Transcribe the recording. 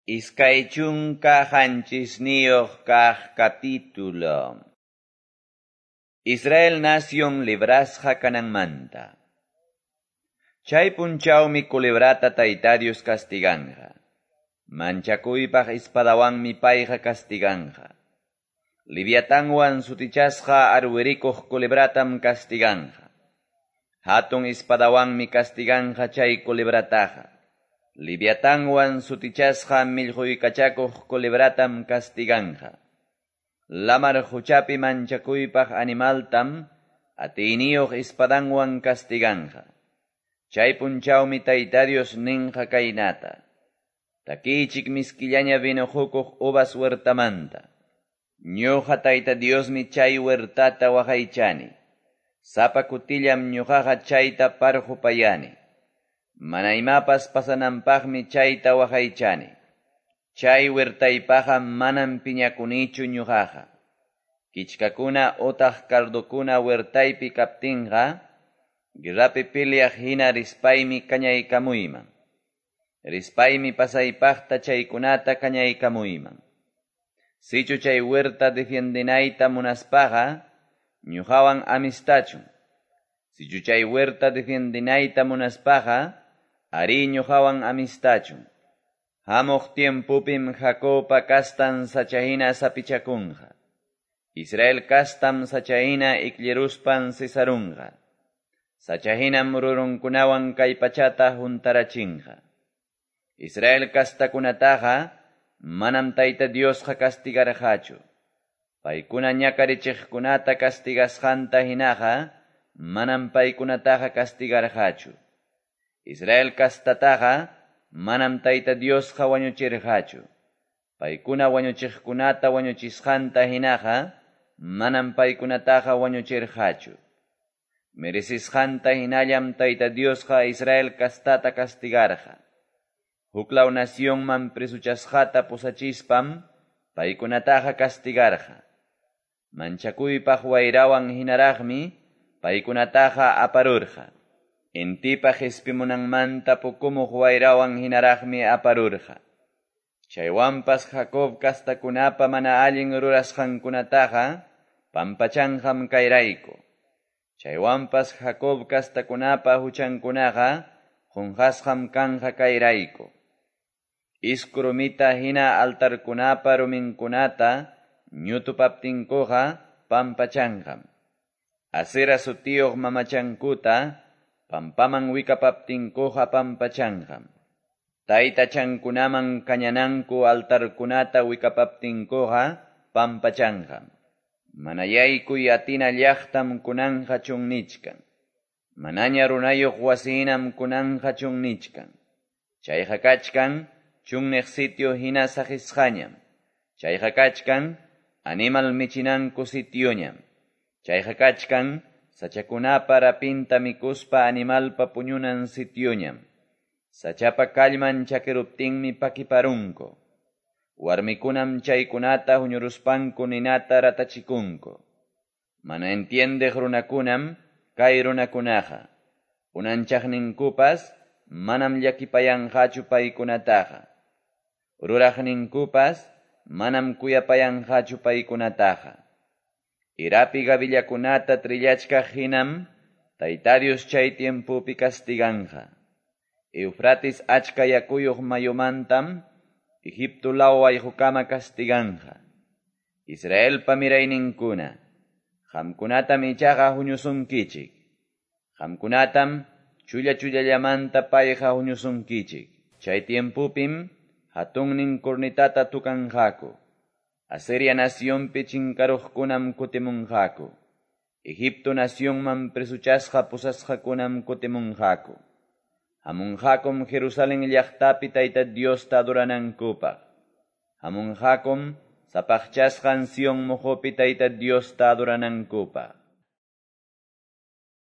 27 kaq capítulo. Israel nación librasqa kananmanta. Chay punchawmi culebrata Tayta Dios castiganja. Manchakuypaq espadawanmi payqa castiganja. Liviatanwan sutichasqa arwirikuq culebratam castiganja. Hatun espadawanmi castiganja chay culebrataqa. Liviatanwan sutichasqa millquykachakuq culebratam castiganja. Lamar huchapi manchakuypaq animaltam atiyniyuq espadanwan castiganja. Chay punchawmi Tayta Dios ninqa kaynata. Takichik miskillaña vino hukuq uvas huertamanta. Ñuqa Tayta Diosmi chay huertata waqaychani. Sapa kutillam ñuqaqa chayta parqupayani. Mana imapas pasananpaqmi chayta waqaychani. Chay huertaypaqa manam piñakunichu ñuqaqa. Kichkakuna utaq cardokuna huertaypi kaptinqa, guerrapi peleaq hina rispaymi kañaykamuyman. Rispaymi pasaypaqta chaykunata kañaykamuyman. Sichu chay huerta defiendinayta munaspaqa, ñuqawan amistachun. Sichu chay huerta defiendinayta munaspaqa, arí ñuqawan amistachun. Hamuq tiempupim Jacobpa kastan sachahina sapichakunqa. Israel kastam sachahina ikliruspan sisarunqa. Sachahinam rurunkunawan kay pachata huntarachinqa. Israel kastakunataqa manam Tayta Diosqa castigarqachu. Paykuna ñakarichiqkunata castigasqanta hinaqa manam paykunataqa castigarqachu. Israel kastataqa manam Tayta Diosqa wañuchirqachu. Paykuna wañuchiqkunata wañuchisqanta hinaqa manam paykunataqa wañuchirqachu. Merecisqanta hinallam Tayta Diosqa Israel kastata castigarqa. Huklaw nacionman presuchasqata pusachispam paykunataqa castigarqa. Manchakuypaq wayrawan hinaraqmi paykunataqa aparurqa. Intipa qhispimunanmanta pukumuq wayrawan hinaraqmi aparurqa. Chaywanpas Jacob kastakunapa mana allin rurasqankunataqa pampachanqam kayrayku. Chaywanpas Jacob kastakunapa huchankunaqa qunqasqam kanqa kayrayku. Isku rumita hina altarkunapa ruminkunata ñutupaptinkuqa pampachanqam. Asera sutiyuq mamachankuta pampaman wikapaptinkuqa pampachanqam. Taytachankunaman kañananku altarkunata wikapaptinkuqa pampachanqam. Mana yaykuy atina llaqtam kunanqa chunnichkan. Manaña runayuq wasinam kunanqa chunnichkan. Chayqa kachkan chunniq sitio hina saqisqañam. Chayqa kachkan animal michinanku sitioñam. Chayqa kachkan sachakunapa rapinta mikuspa animalpa puñunan sitioñam. Sachapa kallman chakiruptinmi pakiparunku. Warmikunam chaykunata huñuruspanku ninata ratachikunku. Mana entiendeq runakunam kay runakunaqa. Unanchaqninkupas manam llakipayanqachu paykunataqa. Ruraqninkupas manam kuyapayanqachu paykunataqa. Irapi gavillakunata trillachkaq hinam Tayta Dios chay tiempopi castiganja. Eufrates achka yakuyuq mayumantam Egipto law wayqukama castiganja. Israelpa mirayninkuna, qamkunatam ichaqa huñusunkichik. Qamkunatam chulla chullallamanta payqa huñusunkichik. Chay tiempupim hatunnin cornetata tukanqaku. Asiria nacionpi chinkaruqkunam kutimunqaku. Egipto nacionman presuchasqa pusasqakunam kutimunqaku. Hamunqakum Jerusalén llaqtapi Tayta Diosta adoranankupaq. Hamunqakum sapaqchasqan Sion muqupi Tayta Diosta adoranankupaq.